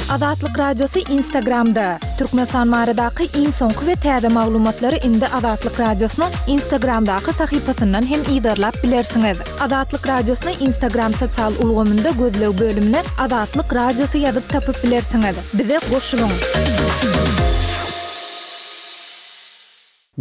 Azatlyk Radiosy Instagramda! Türkmenistan baradaky iň soňky we täze maglumatlary indi Azatlyk Radiosynyň Instagramdaky sahypasyndan hem yzarlap bilersiňiz. Azatlyk Radiosyny Instagram sosial ulgamynda gözleg bölümine Azatlyk Radiosy ýazyp tapyp bilersiňiz. Bize goşulyň!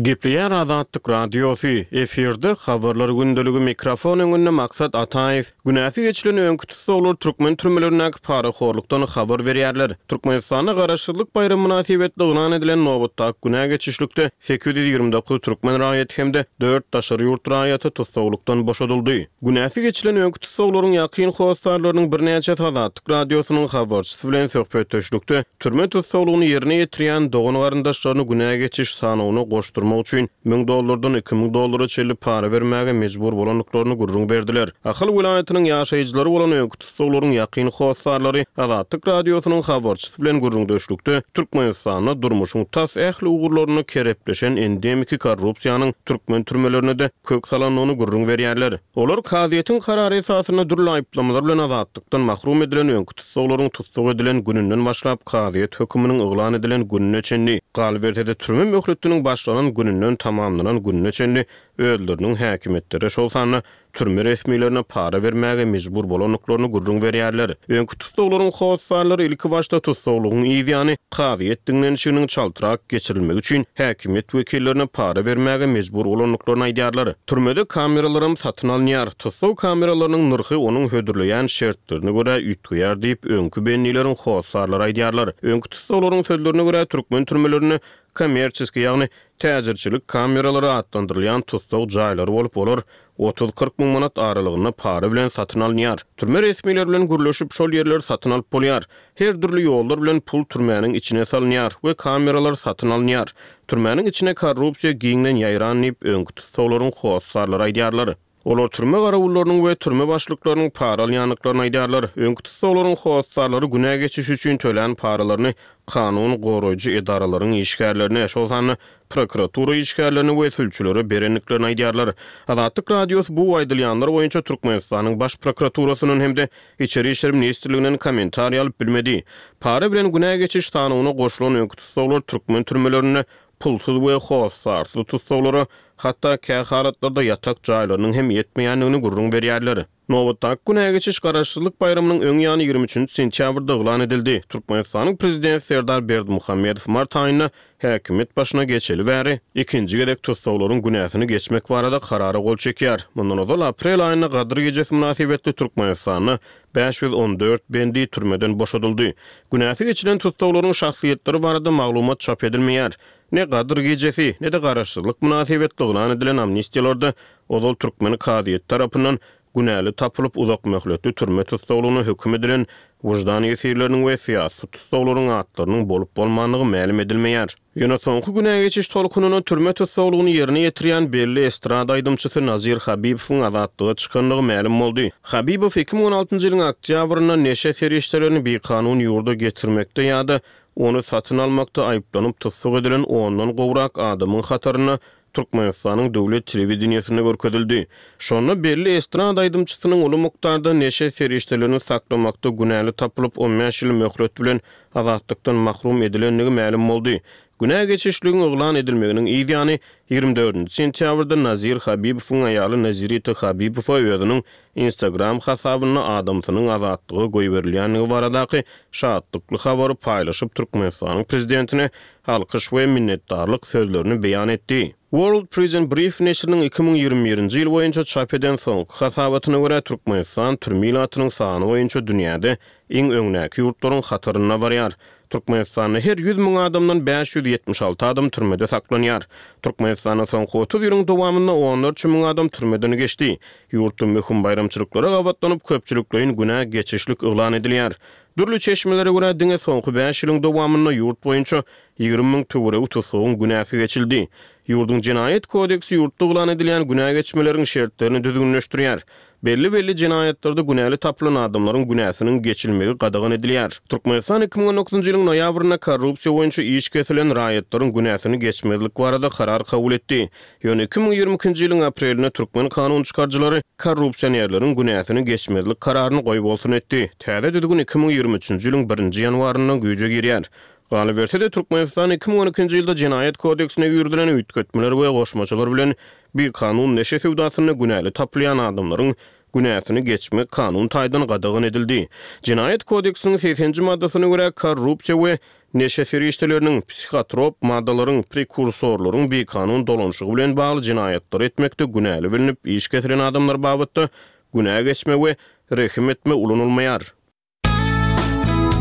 Gepleýär Azatlyk Radiosy, efirde Habarlar gündeligi mikrofon öňünde Maksat Ataýew. Günäsi geçilen öňki tussaglar türkmen türmelerindäki parahorlukdan habar berýärler. Türkmenistanda Garaşsyzlyk baýramy mynasybetli yglan edilen nobatdaky günä geçişlikde 829 türkmen raýaty hem-de dört daşary ýurt raýaty tussaglykdan boşadyldy. Günäsi geçilen öňki tussaglaryň ýakyn hossarlarynyň birnäçesi Azatlyk Radiosynyň habarçysy bilen söhbetdeşlikde türme tussaglygyny ýerine ýetirýän dogan-garyndaşlaryny günä geçiş sanawyna goşdurmak üçin müň dollardan 2000 dollara çenli para bermäge mejbur bolandyklaryny gürrüň berdiler. Ahal welaýatynyň ýaşaýjylary bolan öňki tussaglaryň ýakyn hossarlary Azatlyk Radiosynyň habarçysy bilen gürrüňdeşlikde Türkmenistanda durmuşyň tas ähli ugurlarynda kerepleşen endemiki korrupsiýanyň türkmen türmelerine-de kök salandygyny gürrüň berýärler. Olar kazyýetiň karary esasynda dürli aýyplamalar bilen azatlykdan mahrum edilen öňki tussaglaryň tussag edilen gününden başlap kazyýet höküminiň yglan edilen gününe çenli, galyberse-de türme möhletiniň başlanan gününden tamamlanan gününe çenli özleriniň häkimiýetlere, şol sanda türme resmilerine para bermäge mejbur bolandyklaryny gürrüň berýärler. Öňki tussaglaryň hossarlary ilkibaşda tussaglygyň yzýany kazyýet diňlenişiginiň çaltrak geçirilmegi üçin häkimiýet wekillerine para bermäge mejbur bolandyklaryny aýdýarlar. Türmede kameralaram satyn alynýar. Tussag kameralarynyň nyrhy onuň hödürleýän şertlerine görä üýtgeýär diýip, öňki bendileriň hossarlary aýdýarlar. Öňki tussaglaryň sözlerine görä, türkmen türmelerinde kommerçeskiý, ýagny täjirçilik kameralary atlandyrylýan tussag jaýlary bolup, olar otuz-kyrk müň manat aralygynda para bilen satyn alynýar. Türme resmileri bilen gürleşip, şol ýerleri satyn alyp bolýar. Her dürli ýollar bilen pul türmäniň içine salynýar we kameralar satyn alynýar. Türmäniň içine korrupsiýa giňden ýaýran diýip, öňki tussaglaryň hossarlary aýdýarlar. Olar türme garawullarynyň we türme başlyklarynyň para alýandyklaryny aýdýarlar. Öňki tussaglaryň hossarlary günä geçiş üçin tölän paralaryny kanun goraýjy edaralaryň işgärlerine, şol sanda prokuratura işgärlerine we sülçülere berendiklerini aýdýarlar. Azatlyk Radiosy bu aýdylýanlar boýunça Türkmenistanyň Baş prokuraturasyndan hem-de Içeri işler ministrliginden kommentariý alyp bilmedi. Para bilen günä geçiş sanawyna goşulan öňki tussaglar türkmen türmelerinde pulsuz we hossarsyz tussaglara, hatda kä halatlarda ýatak jaýlarynyň hem ýetmeýändigini gürrüň berýärler. Nobatdaky günä geçiş Garaşsyzlyk baýramynyň öň ýany 23 nji sentýabrda yglan edildi. Türkmenistanyň Prezidenti Serdar Berdimuhamedow mart aýynda häkimiýet başyna geçeli bäri ikinji gezek tussaglaryň günäsini geçmek barada karara gol çekýär. Mundan ozal aprel aýynda Gadyr gijesi mynasybetli Türkmenistanda 514 bendi türmeden boşadyldy. Günäsi geçilen tussaglaryň şahsyýetleri barada maglumat çap edilmeýär. Ne Gadyr gijesi, ne-de Garaşsyzlyk mynasybetli yglan edilen amnistiýalarda ozal türkmen kazyýeti tarapyndan günäli tapylyp uzakmöhletli türme tussaglygyna höküm edilen wyždan ýesirleriniň we syýasy tussaglaryň atlarynyň bolup-bolmandygy mälim edilmeýär. Ýöne soňky günä geçiş tolkunyna türme tussaglygyny ýerine ýetirýän belli estrada aýdymçysy Nazir Habibowyň azatlyga çykandygy mälim boldy. Habibow 2016-njy ýylyň oktýabrynda neşe serişdelerini bikanun ýurda getirmekde ýa-da ony satyn almakda aýyplanyp tussag edilen ondan gowrak adamyň hatarynda Türkmenistanyň döwlet telewideniýesinde görkezildi. Şonda belli estrada aýdymçysynyň uly mukdarda neşe serişdelerini saklamakda günäli tapylyp, on bäş ýyl möhlet bilen azatlykdan mahrum edilendigi mälim boldy. Günä geçişligiň yglan edilmeginiň yz ýany, ýigrimi dördünji sentýabrda Nazir Habibowyň aýaly Nazirita Habibowa özüniň Instagram hasabynda adamsynyň azatlyga goýberilýändigi baradaky şatlykly habary paýlaşyp, Türkmenistanyň prezidentine alkyş we minnetdarlyk sözlerini beýan etdi. World Prison Brief neşiriniň 2021-nji ýyl boýunça çap eden soňky hasabatyna görä, Türkmenistan türme ilatynyň sany boýunça dünýäde iň öňdäki ýurtlaryň hatarynda barýar. Türkmenistanda her 100 müň adamdan 576 adam türmede saklanýar. Türkmenistanda soňky 30 ýylyň dowamynda onlarça müň adam türmeden geçdi. Ýurtda möhüm baýramçylyklara gabatlanyp, köpçülikleýin günä geçişlik yglan edilýär. Dürli çeşmelere görä, diňe soňky bäş ýylyň dowamynda ýurt boýunça 20 müň töweregi tussagyň günäsi geçildi. Ýurduň Jenaýat kodeksi ýurtda yglan edilýän günä geçmeleriň şertlerini düzgünleşdirýär. Belli-belli jenaýatlarda günäli tapylan adamlaryň günäsiniň geçilmegi gadagan edilýär. Türkmenistan 2019-njy ýylyň noýabrynda korrupsiýa boýunça iş kesilen raýatlaryň günäsini geçmezlik barada karar kabul etdi. Ýöne 2022-nji ýylyň aprelinde türkmen kanun çykaryjylary korrupsionerleriň günäsini geçmezlik kararyny goýbolsun etdi. Täze düzgün 2023-nji ýylyň birinji ýanwaryndan güýje girýär. Galyberse-de, Türkmenistan 2012-nji ýylda Jenaýat kodeksine girizilen üýtgetmeler we goşmaçalar bilen bikanun neşe söwdasynda günäli tapylýan adamlaryň günäsini geçmek kanun taýdan gadagan edildi. Jenaýat kodeksiniň segseninji maddasyna görä, korrupsiýa we neşe serişdeleriniň, psihotrop maddalaryň, prekursorlaryň bikanun dolanyşygy bilen bagly jenaýatlary etmekde günäli bilnip iş kesilen adamlar babatda günä geçme we rehim etme ulanylmaýar.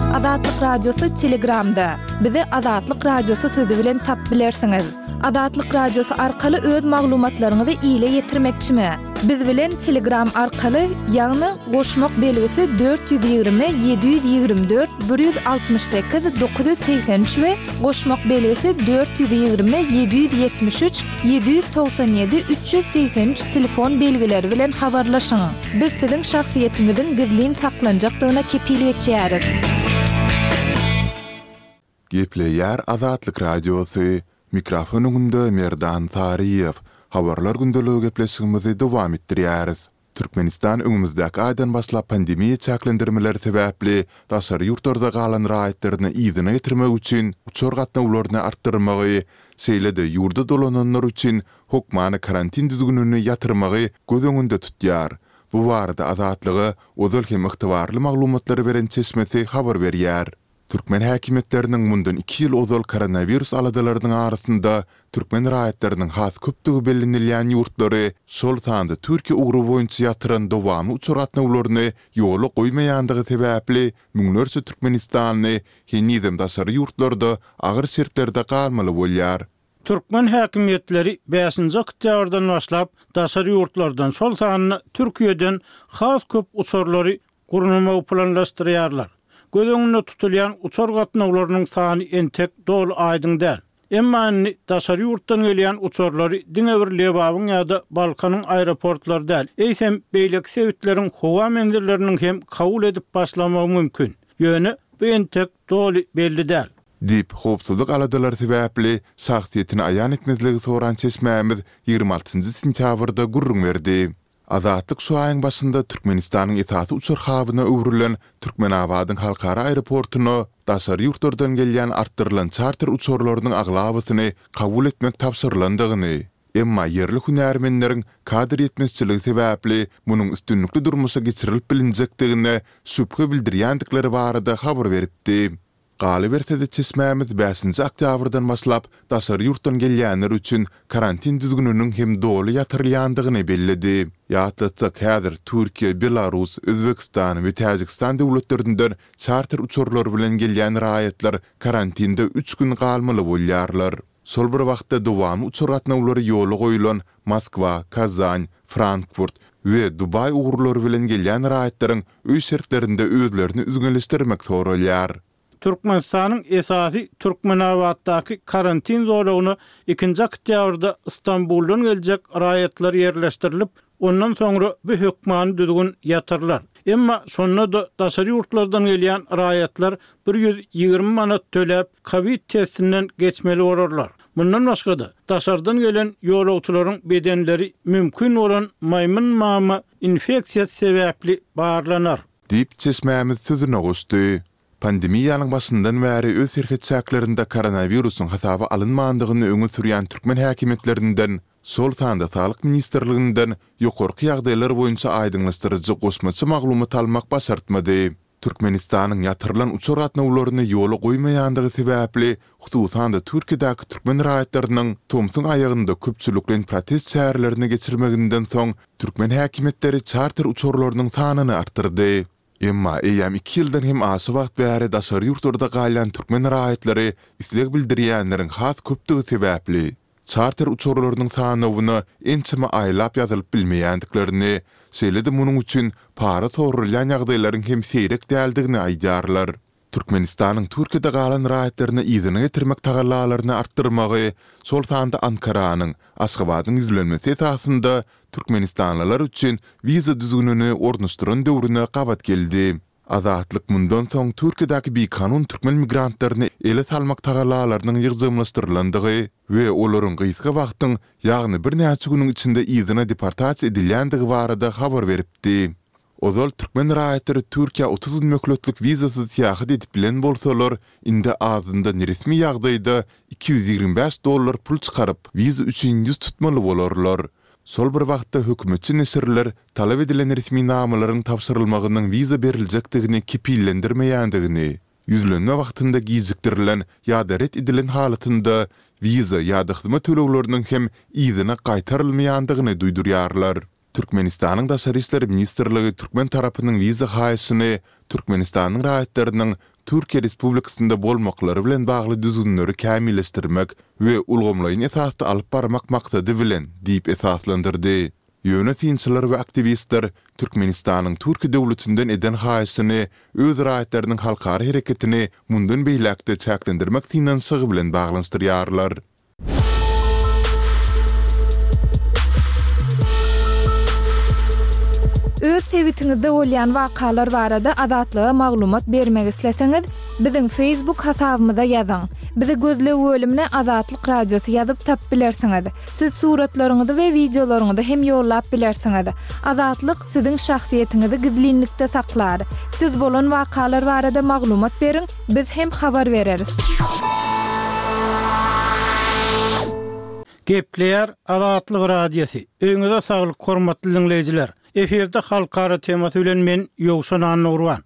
Azatlyk Radiosy Telegramda. Bizi Azatlyk Radiosy sözi bilen tap bilersiňiz. Azatlyk Radiosy arkaly öz maglumatlaryňyzy ile ýetirmekçimi? Biz bilen Telegram arkaly, ýagny goşmak belgisi 420 724 168 983 we goşmak belgisi 420 773 797 383 telefon belgileri bilen habarlaşyň. Biz siziň şahsyýetiňiziň gizlin saklanjakdygyna kepil geçýäris. Gepleýär Azatlyk Radiosy, Mikrofon öňünde Merdan Saryýew. Habarlar gündeligi gepleşigimizi dowam etdirýäris. Türkmenistan öňümizdäki aýdan başlap pandemiýa çäklendirmeleri sebäpli daşary ýurtlarda galan raýatlaryny yzyna getirmek üçin uçar gatnawlaryny artdyrmagy, şeýle-de ýurda dolananlar üçin hökmany karantin düzgünini ýatyrmagy göz öňünde tutýar. Bu barada Azatlyga ozal hem ygtybarly maglumatlary beren çeşmesi habar berýär. Türkmen häkimiýetleriniň mundan iki ýyl ozal koronawirus aladalarynyň arasynda türkmen raýatlarynyň has köpdügi bellenilýän ýurtlary, şol sanda Türkiýe ugry boýunça ýatyran dowamly uçar gatnawlaryny ýola goýmaýandygy sebäpli müňlerçe türkmenistanly henizem daşary ýurtlarda agyr şertlerde galmaly bolýar. Türkmen häkimiýetleri bäşinji oktýabrdan başlap daşary ýurtlardan, şol sanda Türkiýeden has köp uçarlary gurnamagy planlaşdyrýarlar. Göz öňünde tutulýan uçar gatnawlarynyň sany entek doly aýdyň däl. Emma indi daşary ýurtdan gelýän uçarlary diňe bir Lebabyň ýa-da Balkanyň aeroportlary däl, eýsem beýleki sebitleriň howa menzilleriniň hem kabul edip başlamagy mümkin. Ýöne bu entek doly belli däl. Diýip, howpsuzlyk aladalary sebäpli şahsyýetini aýan etmezligi soran çeşmämiz 26 nji sentýabrda gürrüň berdi. Azatlyk şu aýyň başynda Türkmenistanyň esasy uçar habyna öwrülen Türkmenabadyň halkara aeroportuna daşary ýurtlardan gelýän artdyrylan çarter uçarlarynyň aglabasyny kabul etmek tabşyrylandygyny, emma ýerli hünärmenleriň kadr ýetmezçiligi sebäpli munuň üstünlikli durmuşa geçirilip bilinjekdigine şübhe bildirýändikleri barada habar beripdi. Galyberse-de, çeşmämiz bäşinji oktýabrdan başlap daşary ýurtdan gelýänler üçin karantin düzgüniniň hem doly ýatyrylýandygyny belledi. Ýatlatsak, häzir Türkiýe, Belarus, Özbegistan we Täjigistan döwletlerinden çarter uçarlary bilen gelýän raýatlar karantinde üç gün galmaly bolýarlar. Şol bir wagtda dowamly uçar gatnawlary ýola goýlan Moskwa, Kazan, Frankfurt we Dubaý ugurlary bilen gelýän raýatlaryň öý şertlerinde özlerini üzňeleşdirmek soralýar. Türkmenistanyň esasy Türkmenabatdaky karantin zolagyna ikinji oktýabrda Stambuldan geljek raýatlar ýerleşdirilip, ondan soňra bu hökmany düzgün ýatyrylar. Emma şonda-da daşary ýurtlardan gelýän raýatlar 120 manat töläp, kowid testinden geçmeli bolarlar. Mundan başga-da, daşardan gelen ýolagçylaryň bedenleri mümkin bolan maýmyn mama infeksiýasy sebäpli barlanar. Diýip, çeşmämiz sözüne goşdy. Pandemiýanyň başyndan bäri öz serhet çäklerinde koronawirusyň hasaba alynmandygyny öňe sürýän türkmen häkimiýetlerinden, şol sanda Saglyk ministrliginden ýokarky ýagdaýlar boýunça aýdyňlaşdyryjy goşmaça maglumat almak başartmady. Türkmenistanyň ýatyrylan uçar gatnawlaryny ýola goýmaýandygy sebäpli, hususan-da Türkiýedäki türkmen raýatlarynyň tomsuň aýagynda köpçülikleýin protest çärelerini geçirmeginden soň, türkmen häkimiýetleri çarter uçarlarynyň sanyny artdyrdy. Emma eýýäm iki ýyldan hem aşa wagt bäri daşary ýurtlarda galýan türkmen raýatlary isleg bildirýänleriň has köpdügi sebäpli, çarter uçarlarynyň sanawyna ençeme aýlap ýazylyp bilmeýändiklerini, şeýle-de munuň üçin para soralýan ýagdaýlaryň hem seýrek däldigini aýdýarlar. Türkmenistanyň Türkiýede galan raýatlaryny yzyna getirmek tagallalaryny artdyrmagy, şol sanda Ankaranyň Aşgabadyň ýüzlenmesi esasynda türkmenistanlylar üçin wiza düzgünini ornaşdyran döwrüne gabat geldi. Azatlyk mundan soň Türkiýedäki bikanun türkmen migrantlaryny ele salmak tagallalarynyň ýygjamlaşdyrylandygy we olaryň gysga wagtyň, ýagny birnäçe günüň içinde yzyna deportasiýa edilýändigi barada habar beripdi. Ozal türkmen raýatlary Türkiýä 30 gün möhletlik wizasyz syýahat edip bilen bolsalar, indi azyndan resmi ýagdaýda 225 dollar pul çykaryp, wiza üçin ýüz tutmaly bolarlar. Şol bir wagtda hökümetçi neşirler talap edilen resminamalaryň tabşyrylmagynyň wiza beriljekdigini kepillendirmeýändigini, ýüzlenme wagtynda gijikdirilen ýa-da ret edilen halatynda wiza ýa-da hyzmat tölegleriniň hem yzyna gaýtarylmaýandygyny duýdurýarlar. Türkmenistanyň Daşary işler ministrligi türkmen tarapynyň wiza haýyşyny Türkmenistanyň raýatlarynyň Türkiýe Respublikasynda bolmaklary bilen bagly düzgünleri kämilleşdirmek we ulgamlaýyn esasda alyp barmak maksady bilen diýip esaslandyrdy. Ýöne synçylar we aktiwistler Türkmenistanyň Türkiýe döwletinden eden haýyşyny öz raýatlarynyň halkara hereketini mundan beýläk-de çäklendirmek synanyşygy bilen baglanyşdyrýarlar. Öz sebitiňizde bolýan wakalar barada Azatlyga maglumat bermek isleseňiz, biziň Facebook hasabymyza ýazyň. Bizi gözleg bölümine Azatlyk Radiosy ýazyp tapyp bilersiňiz. Siz suratlaryňyzy we wideolaryňyzy hem ýollap bilersiňiz. Azatlyk siziň şahsyýetiňizi gizlinlikde saklar. Siz bolan wakalar barada maglumat beriň, biz hem habar bereris. Gepleýär Azatlyk Radiosy. Öýüňize saglyk hormatly diňleýjiler. Efirde halkara temasy bilen men Ýowşan Annagurban.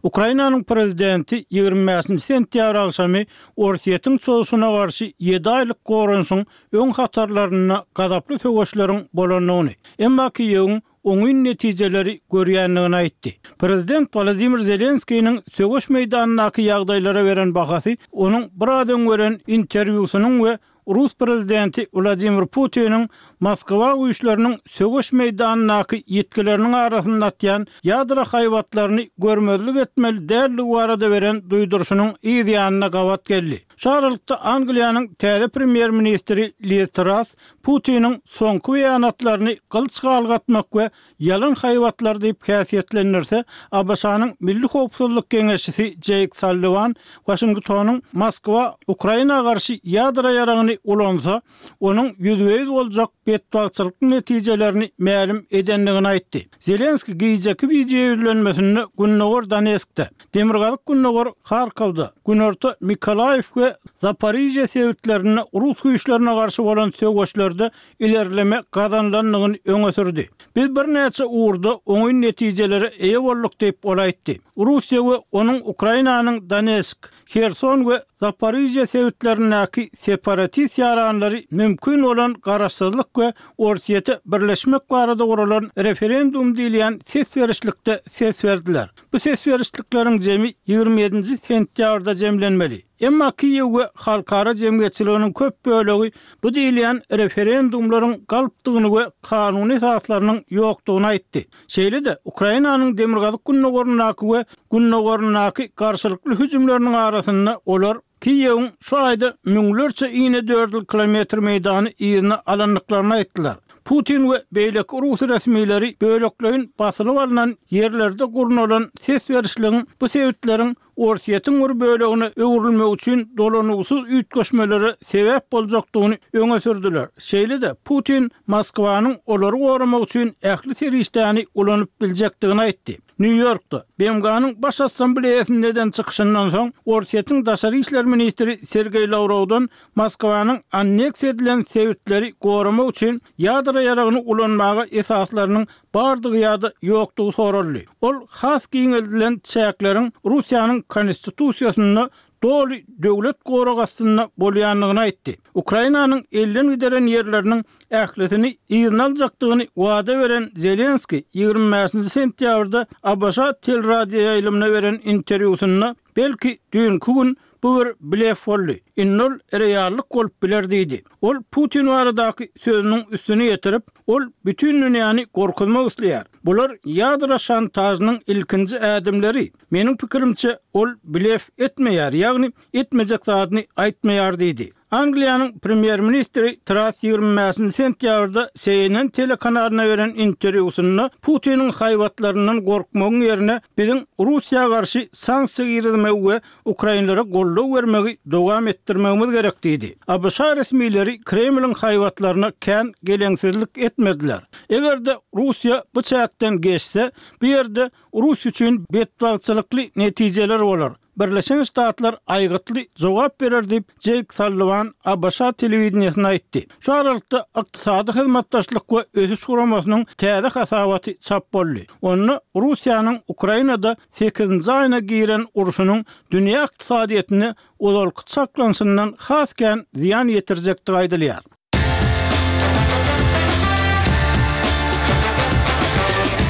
Ukrainanyň prezidenti 25-nji sentýabr agşamy Orsýetiň çozuşyna garşy ýedi aýlyk goranyşyň öň hatarlarynda gazaply söweşleriň bolandygyny, emma Kiýewiň oňyn netijeleri görýändigini aýtdy. Prezident Wolodymyr Zelenskiniň söweş meýdanyndaky ýagdaýlara beren bahasy onuň biraz öň beren interwýusynyň we rus prezidenti Wladimir Putiniň Moskwa güýçleriniň söweş meýdanyndaky ýitgileriniň arasynda atýan ýadro haýbatlaryny görmezlik etmeli däldigi barada beren duýduryşynyň yz ýanyna gabat geldi. Şu aralykda Angliýanyň täze premýer-ministri Liz Trass Putiniň soňky beýanatlaryny gylyç galgatmak we ýalan haýbatlar diýip häsiýetlendirse, ABŞ-nyň Milli howpsuzlyk geňeşçisi Jeýk Salliwan Waşingtonyň Moskwa Ukraina garşy ýadro ýaragyny ulansa, onuň ýüzbe-ýüz boljak betbagtçylykly netijelerini mälim edendigini aýtdy. Zelenskiý gijeki wideoýüzlenmesinde gündogar Donetskde, demirgazyk-gündogar Harkowda, günorta Mykolaýiw we Zaporižýa sebitlerinde rus güýçlerine garşy bolan söweşlerde ilerleme gazanylandygyny öňe sürdi. Biz birnäçe ugurda oňyn netijelere eýe bolduk diýip, ol aýtdy. Russiýa we onuň Ukrainanyň Donetsk, Herson we Zaporižýa sebitlerindäki separatist ýaranlary mümkin bolan garaşsyzlyk we Orsýete birleşmek barada guralan referendum diýilýän ses berişlikde ses berdiler. Bu ses berişlikleriň jemi 27-nji sentýabrda jemlenmeli. Emma Kiýew we halkara jemgyýetçiliginiň köp bölegi bu diýilýän referendumlaryň galpdygyny we kanuny esaslarynyň ýokdugyny aýtdy. Şeýle-de, Ukrainanyň demirgazyk-gündogaryndaky we gündogaryndaky garşylykly hüjümleriniň arasynda olar Kiýewiň şu aýda müňlerçe inedördül kilometr meýdany yzyna alandyklaryny aýtdylar. Putin we beýleki rus resmileri bölekleýin basylyp alnan ýerlerde gurnalan ses berişligiň bu sebitleriň Orsýetiň bir bölegine öwrülmegi üçin dolanygysyz üýtgeşmelere sebäp boljakdygyny öňe sürdüler. Şeýle-de, Putin Moskwanyň olary goramak üçin ähli serişdäni ulanyp biljekdigini aýtdy. Nýu-Ýorkda, BMG-niň Baş Assambleýasynda eden çykyşyndan soň, Orsýetiň daşary işler ministri Sergeý Lawrowdan Moskwanyň anneksiýa edilen sebitleri goramak üçin ýadro ýaragyny ulanmaga esaslarynyň bardygy ýa-da ýokdugy soraldy. Ol has giňeldilen çäkleriň Russiýanyň Konstitusiýasynda doly döwlet goragy astynda bolýandygyny aýtdy. Ukrainanyň elden gideren ýerleriniň ählisini yzyna aljakdygyny wada beren Zelenskiý 25-nji sentýabrda ABŞ teleradioýaýlymyna beren interwýusynda, Belki, düýnki gün. Bu bir blef boldy. Indi ol reallyk bolup biler diýdi. Ol Putin baradaky sözüniň üstüni ýetirip, Ol bütin dünýäni gorkuzmak isleýär. Bular ýadro şantažynyň ilkinji ädimleri. Meniň pikirimçe, ol blef etmeýär, ýagny etmejek zadyny aýtmaýar diýdi. Angliýanyň premýer-ministri Trass 25-nji sentýabrda CNN telekanalyna beren interwýusynda Putiniň haýbatlaryndan gorkmagyň ýerine biziň Russiýa garşy sanksiýa girizmegi we ukrainlere goldaw bermegi dowam etdirmegimiz gerek diýdi. ABŞ resmileri Kremliň haýbatlaryna kän geleňsizlik etmediler. Eger-de Russiýa bu çäkden geçse, bu ýerde rus üçin betbagtçylykly netijeler bolar. Birleşen Ştatlar aýgytly jogap berer diýip, Jeýk Salliwan ABŞ telewideniýesine aýtdy. Şu aralykda, Ykdysady hyzmatdaşlyk we ösüş guramasynyň täze hasabaty çap boldy. Onda Russiýanyň Ukrainada sekizinji aýyna giren urşunyň dünýä ykdysadyýetine ozalky çaklanyşyndan has kän zyýan ýetirjekdigi aýdylýar.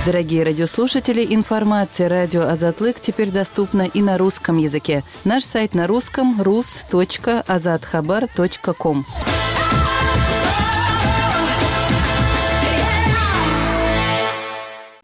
Дорогие радиослушатели, информация радио Азатлык теперь доступна и на русском языке. Наш сайт на русском rus.azathabar.com.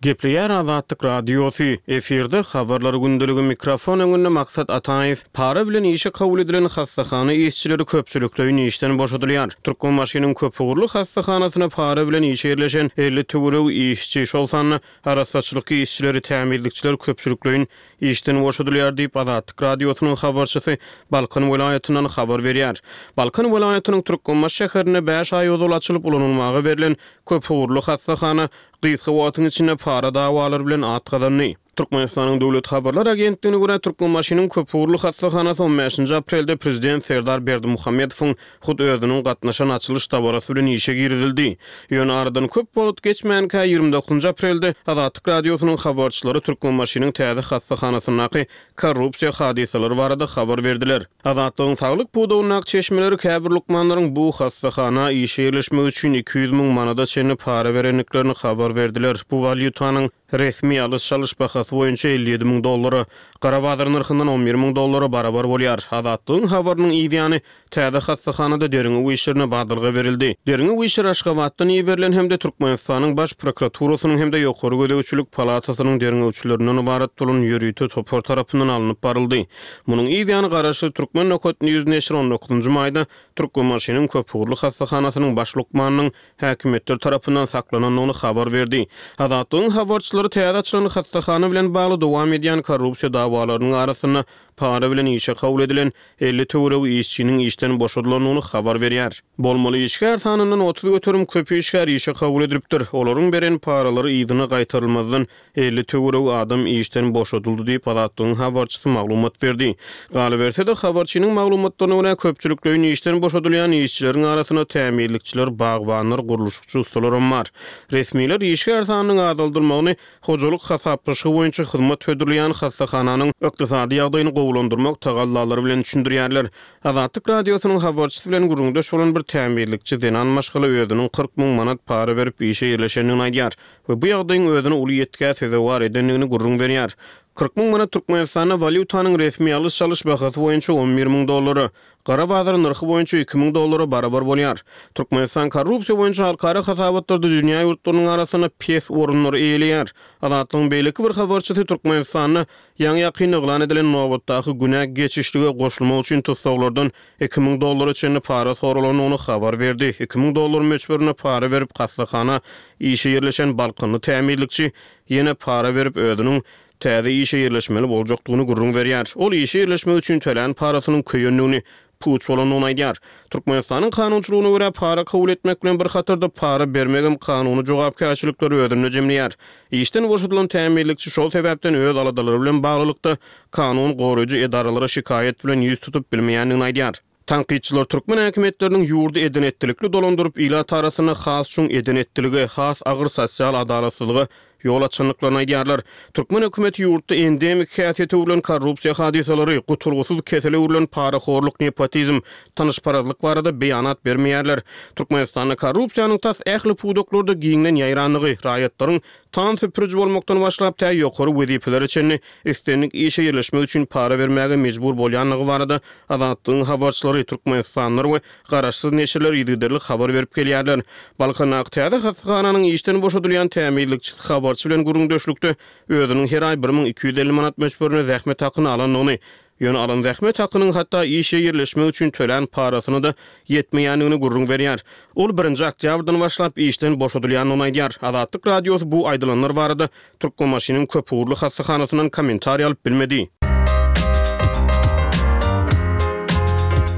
Gepleýär Azatlyk Radiosy, efirde Habarlar gündeligi mikrofon öňünde Maksat Ataýew. Para bilen işe kabul edilen hassahana işçileri köpçülikleýin işden boşadylýar. Türkmenbaşynyň köpugurly hassahanasyna para bilen işe ýerleşen 50 töweregi işçi, şol sanda arassaçylyk işçileri, tämizlikçiler köpçülikleýin işden boşadylýar diýip, Azatlyk Radiosynyň habarçysy Balkan welaýatyndan habar berýär. Balkan welaýatynyň Türkmenbaşy şäherinde bäş aý ozal açylyp ulanylmaga berlen köpugurly hassahana gysga wagtyň içinde para dawalary bilen at gazandy. Türkmenistanyň Döwlet habarlar agentligine görä, Türkmenbaşynyň köpugurly hassahanasy on bäşinji aprelde prezident Serdar Berdimuhamedowyň hut özüniň gatnaşan açylyş dabarasy bilen işe girizildi. Ýöne aradan köp wagt geçmänkä, 29-njy aprelde Azatlyk Radiosynyň habarçylary Türkmenbaşynyň täze hassahanasyndaky korrupsiýa hadysalary barada habar berdiler. Azatlygyň saglyk pudagyndaky çeşmeleri käbir lukmanlaryň bu hassahana işe ýerleşmek üçin 200 müň manada çenli para berendiklerini habar berdiler. Bu walýutanyň resmi alyş-çalyş bahasy boýunça 57 müň dollara, gara bazar nyrhyndan 11 müň dollara barabar bolýar. Azatlygyň habarynyň yzýany Täze hassahanada derňew işlerine badalga berildi. Derňew işleri Aşgabatdan iberilen hem-de Türkmenistanyň Baş prokuraturasynyň hem-de Ýokary gözegçilik palatasynyň derňewçilerinden ybarat bolan ýörite topar tarapyndan alnyp baryldy. Munuň yz ýany garaşsyz Turkmen nokat news neşiri on dokuzynjy maýda Türkmenbaşynyň köpugurly hassahanasynyň baş lukmanynyň häkimiýetler tarapyndan saklanandygyny habar berdi. Azatlygyň habarçylary täze açylan hassahana bilen bagly dowam edýän korrupsiýa dawalarynyň arasynda para bilen işe kabul edilen 50 töweregi işçiniň işden boşadylandygyny habar berýär. Bolmaly işgär sanyndan 30% köp işgär işe kabul edilipdir. Olaryň beren paralary yzyna gaýtarylmazdan 50 töweregi adam işden boşadyldy diýip, Azatlygyň habarçysy maglumat berdi. Galyberse-de, habarçynyň maglumatlaryna görä, köpçülikleýin işden boşadylýan işçileriň arasynda tämizlikçiler, bagbanlar, gurluşykçy ussalaram bar. Resmiler işgär sanynyň azaldylmagyny Hojalyk hasaplaşygy boýunça hyzmat hödürleýän hassahananyň ykdysady ýagdaýyny gowulandyrmak tagallalary bilen düşündirýärler. Azatlyk Radiosynyň habarçysy bilen gürrüňdeş bolan bir tämizlikçi zenan maşgala özüniň 40 müň manat para berip işe ýerleşendigini aýdýar we bu ýagdaýyň özüni uly ýetgä sezewar edendigini gürrüň berýär. 40 müň manat Türkmenistanda walýutanyň resmi alyş-çalyş bahasy boýunça 11 müň dollara, Gara bazar nyrhy boýunça 2000 dollara barabar bolýar. Türkmenistan korrupsiýa boýunça halkara hasabatlarda dünýä ýurtlarynyň arasynda pes orunlary eýeleýär. Azatlygyň beýleki bir habarçysy Türkmenistanda ýaňy-ýakynda yglan edilen nobatdaky günä geçişlige goşulmak üçin tussaglardan 2000 dollara çenli para soralandygyny habar berdi. 2000 dollar möçberinde para berip hassahana işe ýerleşen balkanly tämizlikçi ýene para berip özüniň täze işe ýerleşmeli boljakdygyny gürrüň berýär. Ol işe ýerleşmek üçin tölän parasynyň köýendigini, puç bolandygyny aýdýar. Türkmenistanyň kanunçylygyna görä, para kabul etmek bilen bir hatarda para bermegem kanuny jogapkärçilikleri özünde jemleýär. Işden boşadylan tämizlikçi şol sebäpden öz aladalary bilen baglylykda kanun goraýjy edaralara şikaýat bilen ýüz tutup bilmeýändigini aýdýar. Tankytçylar türkmen häkimiýetleriniň ýurdy eden-etdilikli dolandyryp, ilat arasynda has çuň eden-etdilige, has agyr sosial adalatsyzlyga ýol açandyklaryny aýdýarlar. Türkmen hökümeti ýurtda endemik häsiýete öwrülen korrupsiýa hadysalary, gutulgysyz kesele öwrülen parahorluk, nepotizm, tanyşparazlyk barada beýanat bermeýärler. Türkmenistanda korrupsiýanyň tas ähli pudaklarda giňden ýaýrandygy, raýatlaryň tam süpüriji bolmakdan başlap tä ýokary wezipelere çenli islendik işe ýerleşmek üçin para bermäge mejbur bolýandygy barada Azatlygyň habarçylary, türkmenistanlylar we garaşsyz neşirler yzygiderli habar berip gelýärler. Balkandaky täze hassahananyň işden boşadylýan tämizlikçisi habarçy bilen gürrüňdeşlikde özüniň her aý 1250 manat möçberinde zähmet hakyny alandygyny, ýöne alan zähmet hakynyň hatda işe ýerleşmek üçin tölän parasyna-da ýetmeýändigini gürrüň berýär. Ol birinji oktýabrdan başlap işden boşadylýandygyny aýdýar. Azatlyk Radiosy bu aýdylanlar barada Türkmenbaşynyň köpugurly hassahanasyndan kommentariý alyp bilmedi.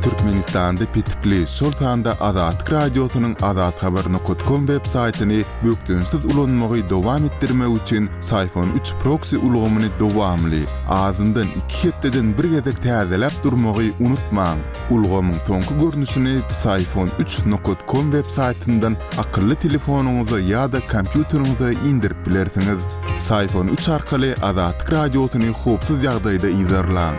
Türkmenistanda petikli, şol sanda Azatlyk Radiosynyň azathabar nokat kom web saýtyny bökdençsiz ulanmagy dowam etdirmek üçin Syfon üç proksi ulgamyny dowamly, azyndan iki hepdeden bir gezek täzeläp durmagy unutmaň. Ulgamyň soňky görnüşini Psiphon üç nokat kom web saýtyndan akylly telefonyňyza ýa-da kompýuteriňize indirip bilersiňiz. Psiphon üç arkaly Azatlyk Radiosyny howpsuz ýagdaýda yzarlaň.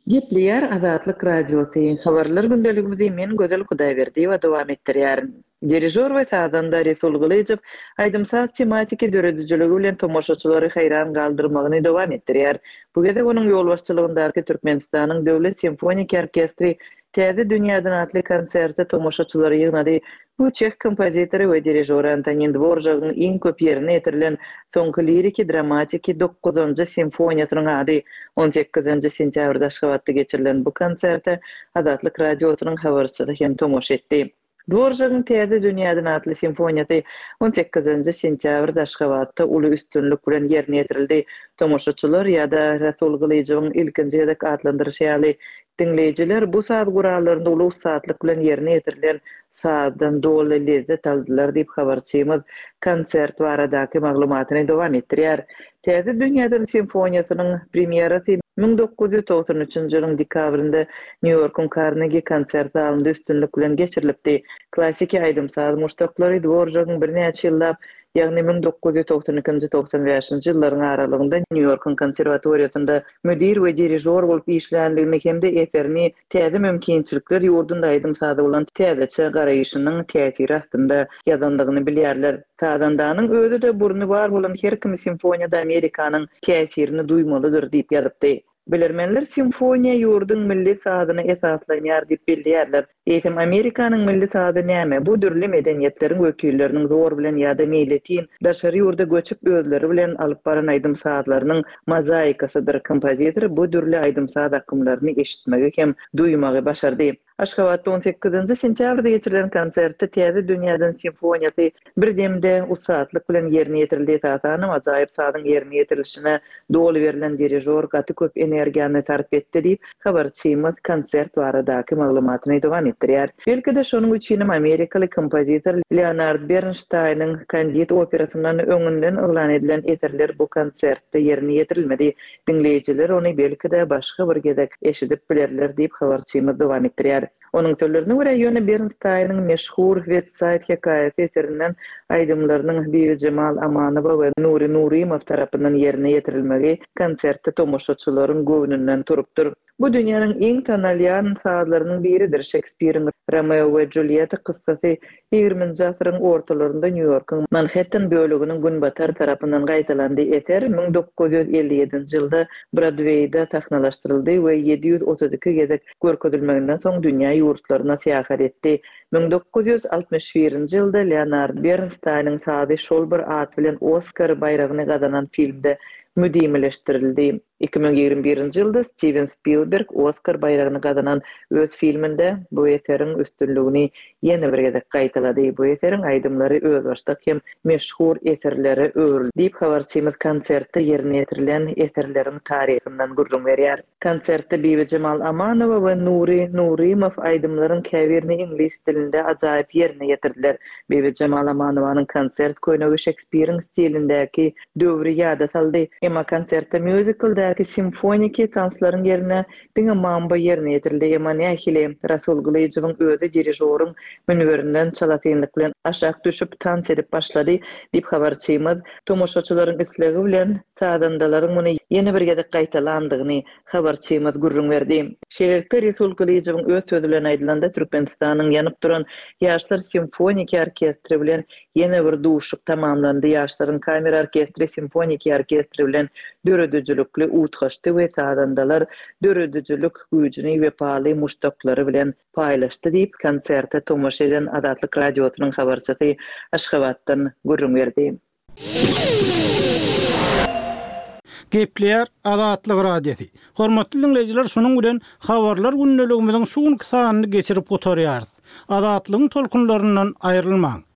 Gepleýär Azatlyk Radiosy, Habarlar gündeligimizi men Gözel Hudaýberdiýewa dowam etdirýärin. Dirižor we sazanda Resul Gylyjow aýdym-saz tematiki döredijiligi bilen tomaşaçylary haýran galdyrmagyny dowam etdirýär. Bu gezek onuň ýolbaşçylygyndaky Türkmenistanyň Döwlet simfoniki orkestri Täze dünýäden atly konserte tomaşaçylary ýygnady. Bu çeh kompozitory we dirižory Antonin Dworžagyň iň köp ýerine ýetirilen soňky liriki-dramatiki dokuzynjy simfoniýasynyň ady. On sekizinji sentýabrda Aşgabatda geçirilen bu konserte Azatlyk Radiosynyň habarçysy hem tomaşa etdi. Dworžagyň Täze dünýäden atly simfoniýasy on sekizinji sentýabrda Aşgabatda uly üstünlik bilen ýerine ýetirildi. Tomaşaçylar ýa-da Rasul Gylyjowyň ilkinji gezek atlandyryşy ýaly, diňleýjiler bu saz gurallarynda uly ussatlyk bilen ýerine ýetirilen sazdan doly lezzet aldylar diýip, habarçymyz konsert baradaky maglumatyny dowam etdirýär. Täze dünýäden simfoniýasynyň premýerasy 1993-nji ýylyň dekabrynda Nýu-Ýorkuň Karnegi konsert zalynda üstünlik bilen geçirilipdi. Klassiki aýdym-saz muşdaklary Dworžagyň birnäçe ýyllap, ýagny 1992-nji, 95-nji ýyllaryň aralygynda Nýu-Ýorkuň konserwatoriýasynda müdir we dirižor bolup işländigini hem-de eserini täze mümkinçilikler ýurdunda aýdym-saza bolan täzeçe garaýşynyň täsiri astynda ýazandygyny bilýärler. Sazandanyň özi-de burny bar bolan her kim simfoniýada Amerikanyň täsirini duýmalydyr diýip ýazypdy. Bilermenler simfoniýa ýurduň milli sazyna esaslanýar diýip belleýärler. Eýsem Amerikanyň milli sazy näme? Bu dürli medeniýetleriň wekilleriniň zor bilen ýa-da meýletin daşary ýurda göçüp özleri bilen alyp baran aýdym-sazlarynyň mozaikasydyr. Kompozitor bu dürli aýdym-saz akymlaryny eşitmegi hem duýmagy başardy. Aşgabatda on sekizinji sentýabrda geçirilen konsertde Täze dünýäden simfoniýasy bir demde ussatlyk bilen ýerine ýetirildi. Esasanam, ajaýyp sazyň ýerine ýetirilişine doly berlen dirižor gaty köp energiýany sarp etdi diýip, habarçymyz konsert baradaky maglumatyny dowam etdirýär. Belki-de, şonuň üçinem amerikaly kompozitor Leonard Bernşteýniň Kandid operasyndan öňünden yglan edilen eserler bu konsertde ýerine ýetirilmedi. Diňleýjiler ony belki-de başga bir gezek eşidip bilerler diýip, habarçymyz dowam etdirýär. Onuň sözlerine görä, ýöne Bernstaýnyň meşhur West-Saýd hekaýasy eserinden aýdymlarynyň Bibijemal Amanowa we Nury Nurymow tarapyndan ýerine ýetirilmegi konsertde tomaşaçylaryň göwnünden turupdyr. Bu dünýäniň iň tanalýan sazlarynyň biridir. Şekspiriň Romeo we Julýetta kyssasy ýigriminji asyryň ortalarynda Nýu-Ýorkuň Manhetten böleginiň günbatar tarapyndan gaýtalandy. Eser 1957-nji ýylda Brodweýde sahnalaşdyryldy we 732 gezek görkezilmeginden soň dünýä ýurtlaryna syýahat etdi. 1961-nji ýylda Leonard Bernstaýnyň sazy şol bir at bilen Oskar baýragyny gazanan filmde müdimileşdirildi. 2021-nji ýylda Stiwen Spilberg Oskar baýragyny gazanan öz filminde bu eseriň üstünligini ýene bir gezek gaýtalady. Bu eseriň aýdymlary özbaşdak hem meşhur eserlere öwrüldi diýip, habarçymyz konsertde ýerine ýetirilen eserleriň taryhyndan gürrüň berýär. Konsertde Bibijemal Amanowa we Nury Nurymow aýdymlaryň käbirini iňlis dilinde ajaýyp ýerine ýetirdiler. Bibijemal Amanowanyň konsert köýnegi Şekspiriň stilindäki döwri ýada saldy. Emma konsertde mýuzikldäki. Bilelikdäki simfoniki tanslaryň ýerine diňe mambo ýerine ýetirildi. Emma nähili? Rasul Gylyjowyň özi dirižoryň münberinden çalasynlyk bilen aşak düşüp, tans edip başlady, diýip, habarçymyz tomaşaçylaryň islegi bilen sazandalaryň muny ýene bir gezek gaýtalandygyny habarçymyz gürrüň berdi. Şeýlelikde, Resul Gylyjowyň öz sözi bilen aýdylanda, Türkmenistanyň ýanyp duran Ýaşlar simfoniki orkestri bilen ýene bir duşuşyk tamamlandy. Ýaşlaryň kamera orkestri simfoniki orkestri bilen döredijilikli utgaşdy we sazandalar döredijilik güýjüni wepaly muşdaklary bilen paýlaşdy diýip, konserte tomaşa eden Azatlyk Radiosynyň habarçysy Aşgabatdan gürrüň berdi. Gepleýär Azatlyk Radiosy. Hormatly diňleýjiler şunuň bilen Habarlar gündeligimiziň şu günki sanyny geçirip gutarýarys. Azatlygyň tolkunlaryndan aýrylmaň.